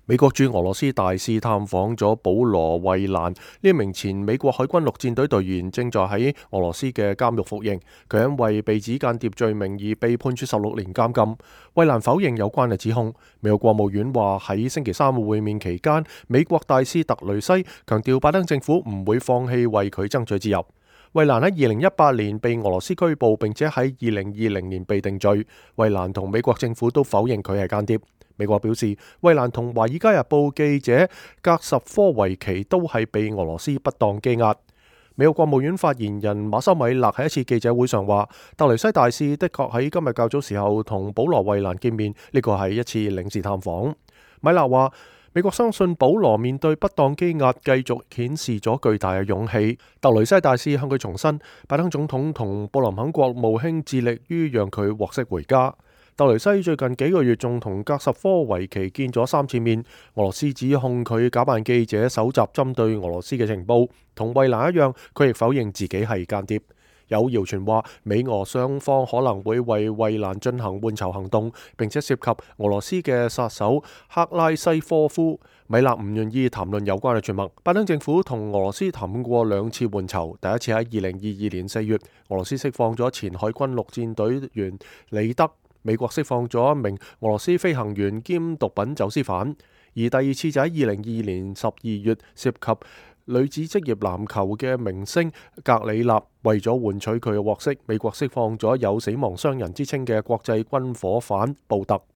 美國駐俄羅斯大使探訪咗保羅·惠蘭，呢一名前美國海軍陸戰隊隊員，正在喺俄羅斯嘅監獄服刑。佢因為被指間諜罪名而被判處16年監禁。惠蘭否認有關嘅指控。美國國務院話喺星期三嘅會面期間，美國大使特雷西強調拜登政府唔會放棄為佢爭取自由。惠蘭喺2018年被俄羅斯拘捕，並且喺2020年被定罪。惠蘭同美國政府都否認佢係間諜。美國表示，惠蘭同《華爾街日報》記者格什科維奇都係被俄羅斯不當羈押。美國國務院發言人馬修米勒喺一次記者會上話，特雷西大使的確喺今日較早時候同保羅·惠蘭見面，呢個係一次領事探訪。米勒話，美國相信保羅面對不當羈押繼續顯示咗巨大嘅勇氣。特雷西大使向佢重申，拜登總統同布林肯國務卿致力於讓佢獲釋回家。特雷西最近幾個月仲同格什科維奇見咗3次面。俄羅斯指控佢假扮記者搜集針對俄羅斯嘅情報，同惠蘭一樣，佢亦否認自己係間諜。有謠傳話美俄雙方可能會為惠蘭進行換囚行動，並且涉及俄羅斯嘅殺手克拉西科夫。米勒唔願意談論有關嘅傳聞。拜登政府同俄羅斯談過2次換囚，第一次喺2022年4月，俄羅斯釋放咗前海軍陸戰隊員李德。美國釋放咗一名俄羅斯飛行員兼毒品走私犯，而第2次就喺2022年12月，涉及女子職業籃球嘅明星格里納。為咗換取佢嘅獲釋，美國釋放咗有死亡商人之稱嘅國際軍火販布特。